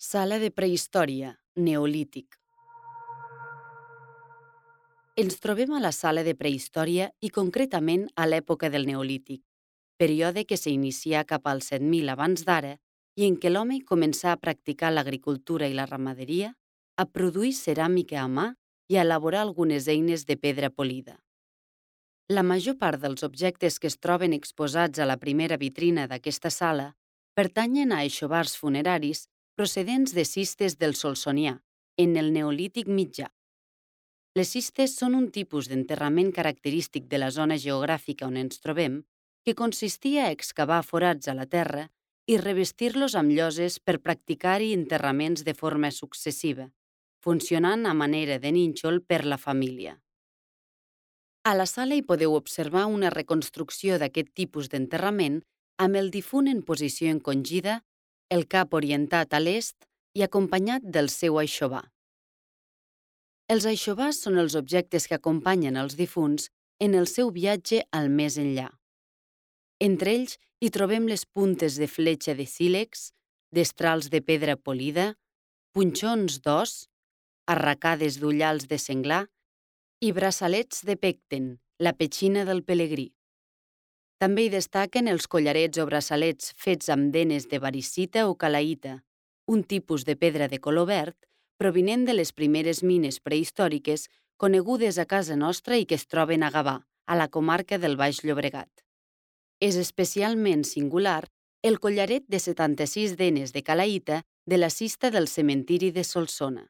Sala de prehistòria, Neolític. Ens trobem a la sala de prehistòria i concretament a l'època del Neolític, període que s'inicia cap al 7.000 abans d'ara i en què l'home començà a practicar l'agricultura i la ramaderia, a produir ceràmica a mà i a elaborar algunes eines de pedra polida. La major part dels objectes que es troben exposats a la primera vitrina d'aquesta sala pertanyen a aixovars funeraris procedents de cistes del Solsonià, en el Neolític mitjà. Les cistes són un tipus d'enterrament característic de la zona geogràfica on ens trobem, que consistia a excavar forats a la terra i revestir-los amb lloses per practicar-hi enterraments de forma successiva, funcionant a manera de nínxol per la família. A la sala hi podeu observar una reconstrucció d'aquest tipus d'enterrament amb el difunt en posició encongida, el cap orientat a l'est i acompanyat del seu aixovar. Els aixovars són els objectes que acompanyen els difunts en el seu viatge al més enllà. Entre ells hi trobem les puntes de fletxa de sílex, destrals de pedra polida, punxons d'os, arracades d'ullals de senglar i braçalets de pecten, la petxina del pelegrí. També hi destaquen els collarets o braçalets fets amb denes de varicita o calaïta, un tipus de pedra de color verd provinent de les primeres mines prehistòriques conegudes a casa nostra i que es troben a Gavà, a la comarca del Baix Llobregat. És especialment singular el collaret de 76 denes de calaïta de la cista del cementiri de Solsona.